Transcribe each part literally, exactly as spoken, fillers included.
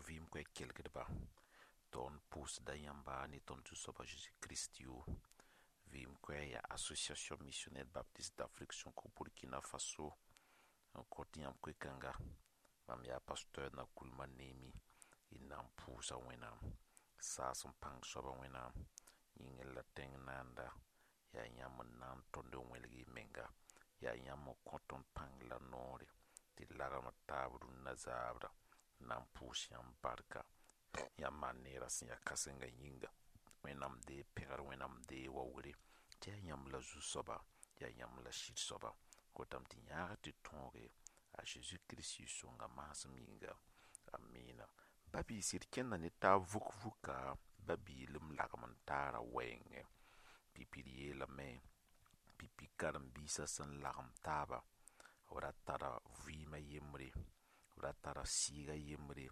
Vɩɩm koɛɛg kelgdba, tõnd pʋʋsda yãmba ne tõnd Zu-soaba Zeezi Kirist yʋʋr. Vɩɩm koɛɛg yaa Association Missionnaire Baptiste d'Afrique sẽn kõ Burkina Faso n kõt yãmb koe-kãnga. Mam yaa pasteur Nakoulma Neemi, y na n pʋʋsa Wẽnnaam. Saas n pãng soaba Wẽnnaam, yĩngr la tẽng naanda, yaa yãmb n na n tõnd n wẽlg y menga, yaa yãmb n kõ tõnd pãng la noore tɩ d lagem d taab rũnnã zaabra n na n pʋʋs yãmb barka. Yãmb maan neerã sẽn yaa kãsenga yĩnga. Wẽnnaam dee pẽgr, Wẽnnaam dee waoogre, tɩ yaa yãmb la zu-soaba, yaa yãmb la sɩd-soaba. Kotame tɩ yãag tɩ tõoge a Zeezi Kirist yɩ-sõnga maasem yĩnga. Amina. Ba-biisi d kẽnda ne taab vuk-vuka ba-biilem lagem n taara wɛɛngẽ. Pipi d yeelame pipi karen-biisã sẽn lagem taaba, b ra tara vɩɩmã yembre, b ra tara sɩɩgã yembre,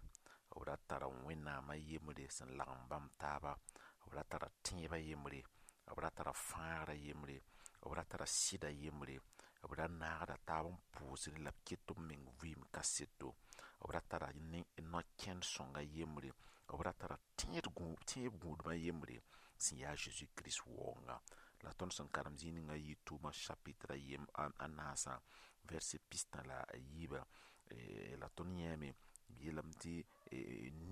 b ra tara Wẽnnaamã yembre sẽn lagem bãmb taaba, b ra tara tẽebã yembre, b ra tara fãagrã yembre, b ra tara sɩdã yembre, b ra naagda taab n pʋʋsdẽ la b ket b meng vɩɩm kaseto, b ra tara no-kẽnd sõnga yembre, b ra tara tẽed tẽeb gũudmã yembre sẽn yaa Zeezi Kirist waoonga. La tõnd sẽn karem zĩig ninga yɩ tʋʋma chapitre a yem a naasã verset pistã la a yiibã la tõnd yãame b yeelame tɩ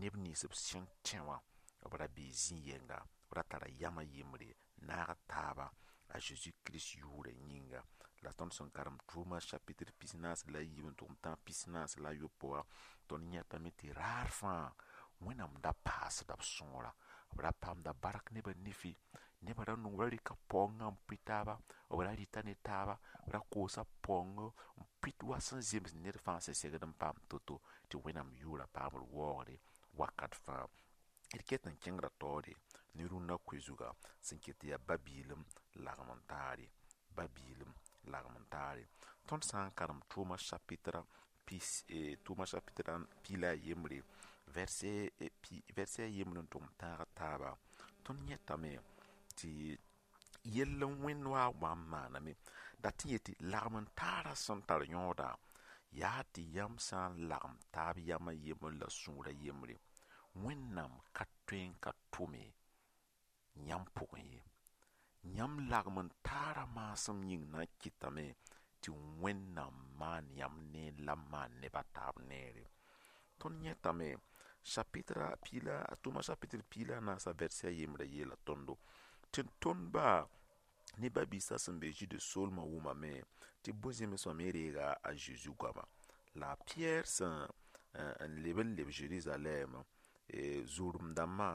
neb nins b sẽn tẽ wã b ra bee zĩ-yɛnga, b ra tara yamã yembre naag taaba a Zeezi Kirist yʋʋrã yĩnga. La tõnd sẽn karem tʋʋma chapitre pis-naas la a yiib n tʋg n tãag pis-naas la a yopoe wã, tõnd yãtame tɩ raar fãa Wẽnnaam da paasda b sõora, b ra paamda bark nebã nifi, nebã ra nong ra rɩka paoongã n pʋɩ taaba, b ra rɩta ne taaba, b ra koosa paoong n pʋɩt wa sẽn zems ned fãa sẽn segd n paam to-to tɩ Wẽnnaam yʋʋra paamd waoogre wakat fãa. D ket n kẽngra taoore ne rũnnã koe-zuga sẽn ket tɩ yaa ba-biilem lagem n taare, ba-biilem lagem n taare. Tõnd sã n karem tʋʋma chapitre pis tʋʋma chapitre pi la a yembre verset pi verset a yembre n tʋg n tãag taaba, tõnd yẽtame tɩ yell n wẽnd wa wa n maaname dat n yetɩ lagem n taarã sẽn tar yõoda yaa tɩ yãmb sã n lagem taab yamã yembre la sũurã yembre, Wẽnnaam ka tõe n ka tʋme yãmb pʋgẽ ye. Yãmb lagem n taarã maasem yĩng na n kɩtame tɩ Wẽnnaam maan yãmb neer la maan neb a taab neere. Tõnd yẽtame chapitre pi la tʋʋma chapitre pi la a naasã verset a yembrã yeela tõndo tɩ tõndba ne ba-biisã sẽn be Zude soolmã wʋmame tɩ bõe-zẽmsmã me reega a Zeezi goama. La a Piyɛr sẽn n leb n leb Zerizalɛɛm zʋrem-dãmbã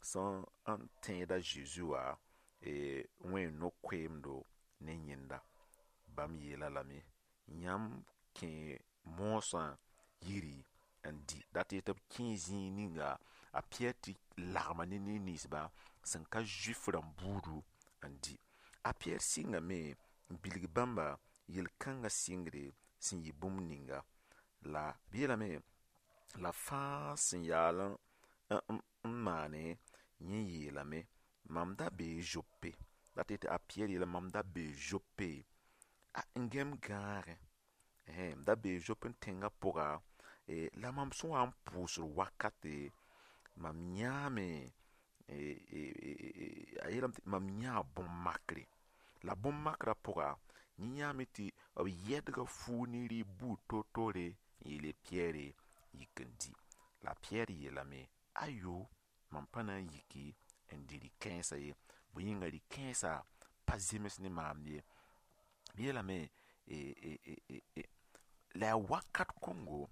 sẽn n tẽed a Zeezi wã wẽ no-koeemdo ne yẽnda. Bãmb yeela lame yãmb kẽ moosã yiri n dɩ dat tɩ b kẽ zĩig ninga a Piyɛr tɩ lagma ne neb-ninsba sẽn ka Zuif rãmb buudu n dɩ. A Piyɛr sɩngame n bilg bãmba yel-kãngã sɩngre sẽn yɩ bũmb ninga. La b yeelame la fãa sẽn yaal n maane yẽ yeelame mam da bee Zope dat tɩ a Piyɛr yeelame mam da bee Zope n gẽm gãagẽ m da bee Zope tẽngã pʋga la mam sẽn wa n pʋʋsd wakate mam yãame a yeelame tɩ mam yãa bõn-makre la bõn-makrã pʋga yẽ yãame tɩ b yɛdga fuug ne rɩɩb buud toor-toore n yeel Piyɛre yik n dɩ. La Piyɛr yeelame ayo mam pa na n yiki n dɩ rɩ-kãensã ye, bõe yĩnga rɩ-kãensã pa zems ne maam ye. B yeelame la yaa wakat kõngo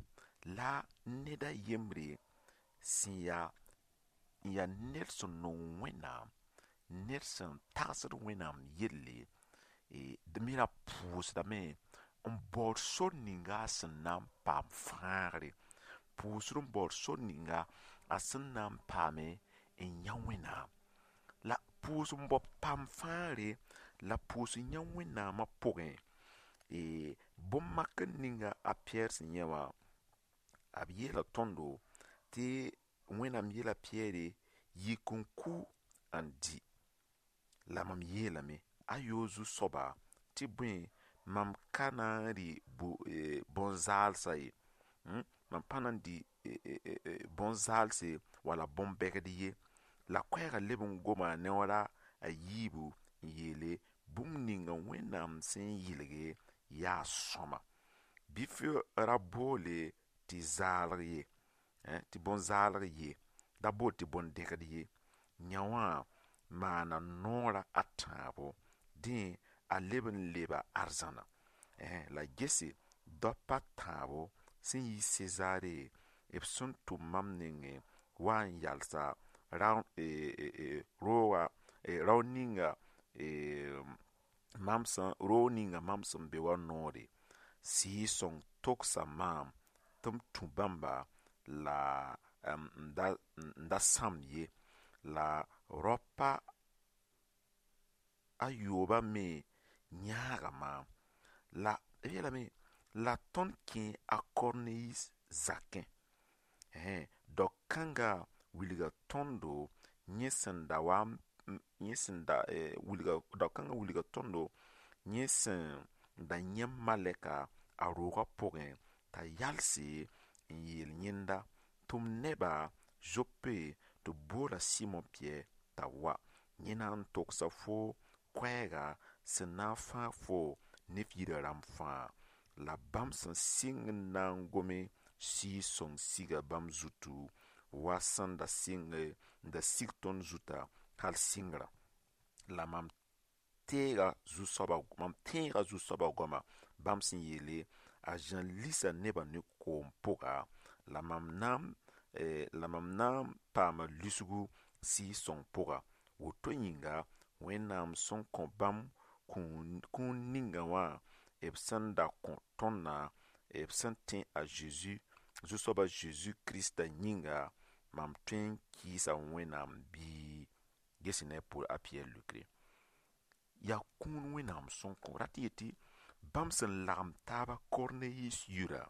la ned a yembre sẽn yaa n yaa ned sẽn nong Wẽnnaam, ned sẽn tagsd Wẽnnaam yelle, d me ra pʋʋsdame n baood sor ninga a sẽn na n paam fãagre, pʋʋsd n baood sor ninga a sẽn na n paame n yã Wẽnnaam. La pʋʋs n bao paam fãagre la pʋʋs n yã Wẽnnaamã pʋgẽ bõn-makr ninga a Piyɛr sẽn yã wã, b yeela tõndo tɩ Wẽnnaam yeela Piyɛre yik n ku n dɩ. La mam yeelame ayo zu-soaba tɩ bõe mam ka na n rɩ bõn-zaalsã ye. Mam pa na n dɩ bõn-zaalse wala bõn-bɛgd ye. La koɛɛgã leb n goma a neoora a yiibu n yeele bũmb ninga Wẽnnaam sẽn yɩlge yaa sõma. Bɩ f ra boole tɩ zaalg ye, tɩ bõn-zaalg ye, da bool tɩ bõn-dẽgd ye. Yã wã maana noora a tãabo. Dẽ a leb n leba arzãna. La gese daopa tãabo sẽn yi Sezaare b sẽn tʋm mam nengẽ wa n yalsa rooga rao ninga mam sẽn roog ninga mam sẽn be wã noore Sɩɩg-sõng togsa maam tɩ m tũ bãmba la n da sãmb ye. La raopa a yoobã me yãaga maam. La b yeelame la tõnd kẽ a Korneyis zakẽ. Dao-kãngã wilga tõndo yẽ sẽn da wa yẽ sẽn da wilga dao-kãngã wilga tõndo yẽ sẽn da yã malɛka a roogã pʋgẽ t'a yalse n yeel yẽnda tɩ m neba Zope tɩ b boola Sɩmo Pɩyɛɛ t'a wa. Yẽ na n togsa fo koɛɛga sẽn na n fãag fo ne f yirã rãmb fãa. La bãmb sẽn sɩng n na n gome Sɩɩg-sõng siga bãmb zutu wa sẽn da sɩng n da sig tõnd zuta hal sɩngrã. La mam teega zu-soabã mam tẽega zu-soabã goama bãmb sẽn yeele a Zã lisa nebã ne koom pʋga la mam na la mam na n paama lisgu Sɩɩg-sõng pʋga. Woto yĩnga Wẽnnaam sẽn kõ bãmb kũun ninga wã b sẽn da kõ tõndã b sẽn tẽ a Zeezi Zu-soabã Zeezi Krista yĩnga mam tõe n kɩɩsa Wẽnnaam bɩ ges ne a Pɩyɛɛr leokre. Yaa kũun Wẽnnaam sẽn kõ rat yetɩ bãmb sẽn lagem taaba Korneyis yirã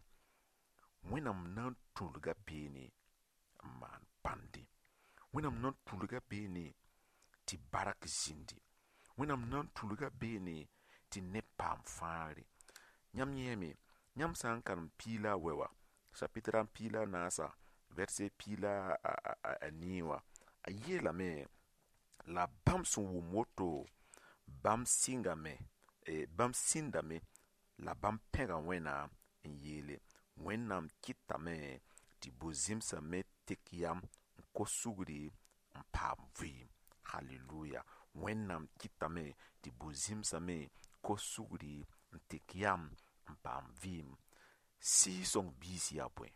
Wẽnnaam na n tũlga beene n maan pãnde. Wẽnnaam na n tũlga beene tɩ bark zĩndi. Wẽnnaam na n tũlga beene tɩ neb paam fãagre. Yãmb yẽeme yãmb sã n karem piig la a wɛ wã chapitre a piig la a naasa verset piig la a nii wã a yeelame la bãmb sẽn wʋm woto bãmb sɩngame bãmb sĩndame la bãmb pẽga Wẽnnaam n yeele Wẽnnaam kɩtame tɩ bu-zẽmsã me tek yam n kos sugri n paam vɩɩm. Hallelujah. Wẽnnaam kɩtame tɩ bu-zẽmsã me kos sugri n tek yam n paam vɩɩm. Sɩɩg-sõng biis yaa bõe?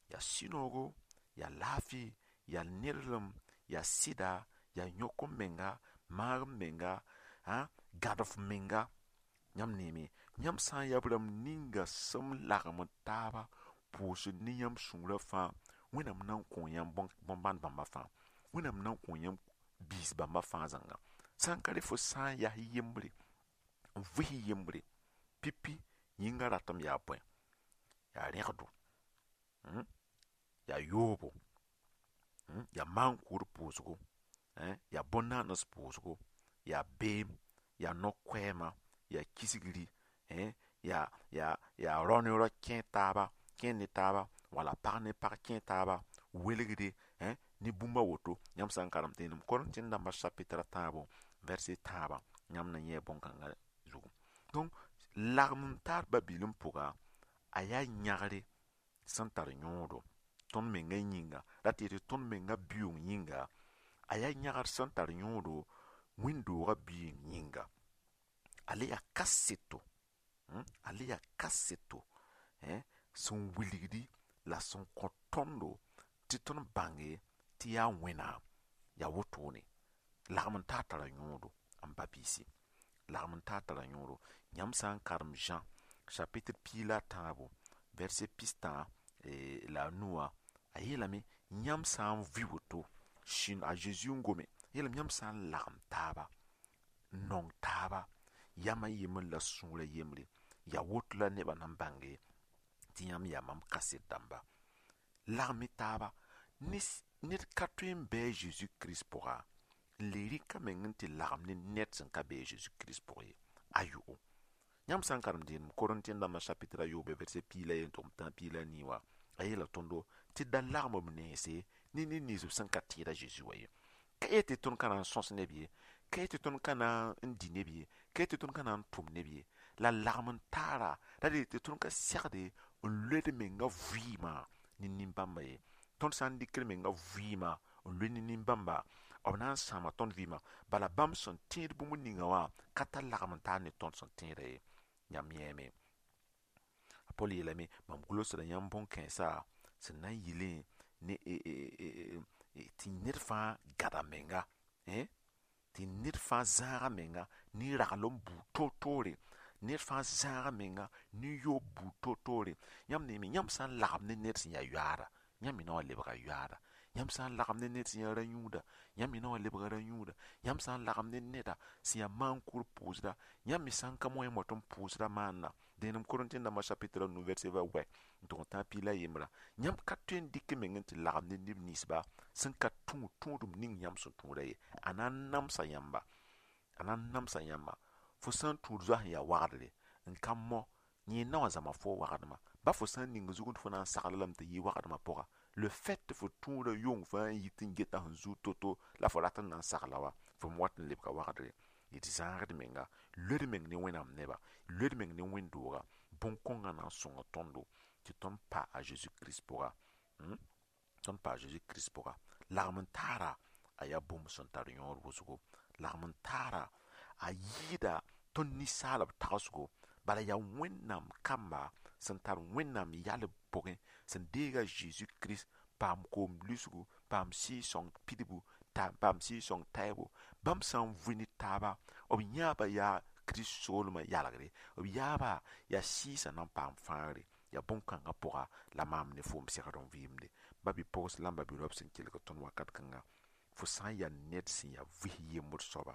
Yaa sũ-noogo, yaa laafɩ, yaa nerlem, yaa sɩda, yaa yõk m menga, maag m menga, gãd f menga. Yãmb neeme, yãmb sã n yaa b rãmb ninga sẽn lagem taaba pʋʋsd ne yãmb sũurã fãa Wẽnnaam na n kõ yãmb bõn-bãn bãmba fãa. Wẽnnaam na n kõ yãmb biis bãmba fãa zãnga. Sã n ka rẽ fo sã n yaa yembre n vɩs yembre pipi yĩngã ratem yaa bõe yaa rẽgdo yaa yoobo yaa maan-kʋʋd pʋʋsgo yaa bõn-naans pʋʋsgo yaa beem yaa no-koɛɛma yaa kisgri yaa yaa yaa rao ne rao kẽ taaba kẽ ne taaba wala pag ne pag kẽ taaba welgre ne bũmb a woto yãmb sã n karem tẽedem Korẽntɩ dãmbã chapitre a tãabo verset tãabã yãmb na yẽ bõn-kãngã zugu. Donc lagem n taar ba-biilem pʋga a yaa yãgre sẽn tar yõodo tõnd menga yĩnga rat yetɩ tõnd menga biʋʋng yĩnga a yaa yãgr sẽn tar yõodo wẽnd-doogã biig yĩnga. A le yaa kaseto a le yaa kaseto sẽn wilgdi la sẽn kõ tõndo tɩ tõnd bãnge tɩ yaa Wẽnnaam yaa wotone lagem n taar tara yõodo n ba biisi lagem n taar tara yõodo yãmb sã n karem Jean chapitre piig la a tãabo verset pistã la a nu wã a yeelame yãmb sã n vɩ woto a Zeezi n gome yeelame yãmb sã n lagem taaba n nong taaba yam a yembr la sũurã yembre yaa woto la nebã na n bãnge tɩ yãmb yaa mam kaset dãmba. Lagem-y taaba ned ka tõe n bɩ a Zeezi Kirist pʋga n le rɩk a meng n tɩ lagem ne ned sẽn ka be a Zeezi Kirist pʋg ye ayo. Yãmb sã n karem dẽenem Korẽntɩ dãmbã chapitre a yoobe verset piig la yen tʋgem tã piig la a nii wã a A yeela tõndo tɩ da lagm b nense ne ned nins b sẽn ka tẽed a Zeezi wa ye. Ka yet tɩ tõnd ka na n sõs neb ye, ka yet tɩ tõnd ka na n dɩ neb ye, ka yet tɩ tõnd ka na n tʋm neb ye. La lagm n taara ra dee tɩ tõnd ka segde n loed menga vɩɩmã ne nin-bãmba ye. Tõnd sã n dɩkd menga vɩɩmã n loe ne nin-bãmba, b na n sãama tõnd vɩɩmã. Bala bãmb sẽn tẽed bũmb ninga wã ka tar lagm n taar ne tõnd sẽn tẽeda ye. Yãmb yẽeme. A Pol yeelame mam gʋlsda yãmb bõn-kãensã sẽn na n yɩlẽ ne tɩ ned fãa gada menga, tɩ ned fãa zãaga menga ne raglem buud toor-toore, ned fãa zãaga menga ne yoob buud toor-toore. Yãmb neeme, yãmb sã n lagem ne ned sẽn yaa yoaada, yãmb me na wa lebga yoaada. Yãmb sã n lagem ne ned sẽn yaa ra-yũuda, yãmb me na wa lebga ra-yũuda. Yãmb sã n lagem ne neda sẽn yaa maan-kʋʋd pʋʋsda, yãmb me sã n ka mo yãmb wat n pʋʋsda maanna. Dẽenem Korẽntɩ dãmbã chapitre a nu verset va wɛ n tʋg n tãag piig la yembra. Yãmb ka tõe n dɩk meng n tɩ lagem ne neb ninsba sẽn ka tũ tũudum ning yãmb sẽn tũuda ye. A na n namsa yãmba, a na n namsa yãmba. Fo sã n tũud zoa sẽn yaa wagdre n ka mo, yẽ na wã zãma fo wagdmã. Ba fo sã n ning zugẽ tɩ fo na n sagl lame tɩ yɩ wagdmã pʋga, le fait tɩ fo tũudã yong fãa n yit n geta sẽn zuud to-to la fo rat n na n sagla wa, fo me wat n lebga wagdre. D zãagd menga, loed meng ne Wẽnnaam neba, loed meng ne wẽnd-dooga. Bõn-kõngã na n sõnga tõndo tɩ tõnd pa a Zeezi Kirist pʋga, tõnd pa a Zeezi Kirist pʋga. Lagm n taara a yaa bũmb sẽn tar yõod wʋsgo. Lagm n taara a yɩɩda tõnd ninsaalb tagsgo. Bala yaa Wẽnnaam kamba sẽn tar Wẽnnaam yalb pʋgẽ, sẽn deeg a Zeezi Kirist, paam koom lisgu, paam Sɩɩg-sõng pidbu, paam Sɩɩg-sõng taɛɛbo. Bãmb sã n vʋ ne taaba, b yãaba yaa Kirist soolmã yalgre, b yaaba yaa sɩɩsã na n paam fãagre. Yaa bõn-kãngã pʋga la maam ne foom segd n vɩɩmde. Ba-bi-pogs la b ba-bi-raob sẽn kelg tõnd wakat kãnga, fo sã n yaa ned sẽn yaa vɩs yembd soaba,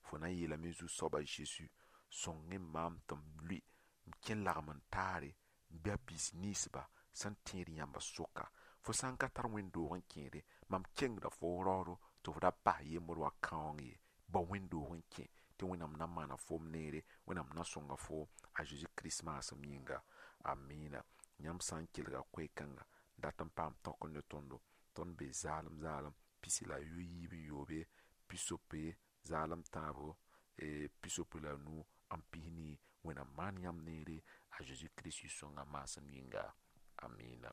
fo na n yeelame Zu-soaba Zeezi, sõng-y maam tɩ m lʋɩ m kẽ lagm n taare n bɩ a biis ninsba sẽn tẽed yãmba soka. Fo sã n ka tar wẽnd-doog n kẽede, mam kengda fo raoodo tɩ f ra bas yembd wa kãoong ye. Bao wẽnd-doog n kẽ tɩ Wẽnnaam na maana foom neere, Wẽnnaam na sõnga foom a Zeezi Kirist maasem yĩnga. Amina. Yãmb sã n kelga koe-kãnga dat n paam tõk ne tõndo, tõnd be zaalem zaalem pisi la yiib n yoobe, pisopoe zaalem tãabo, pisopoe la nu n pis nii. Wẽnnaam maan yãmb neere a Zeezi Kirist yʋ-sõngã maasem yĩnga. Amina.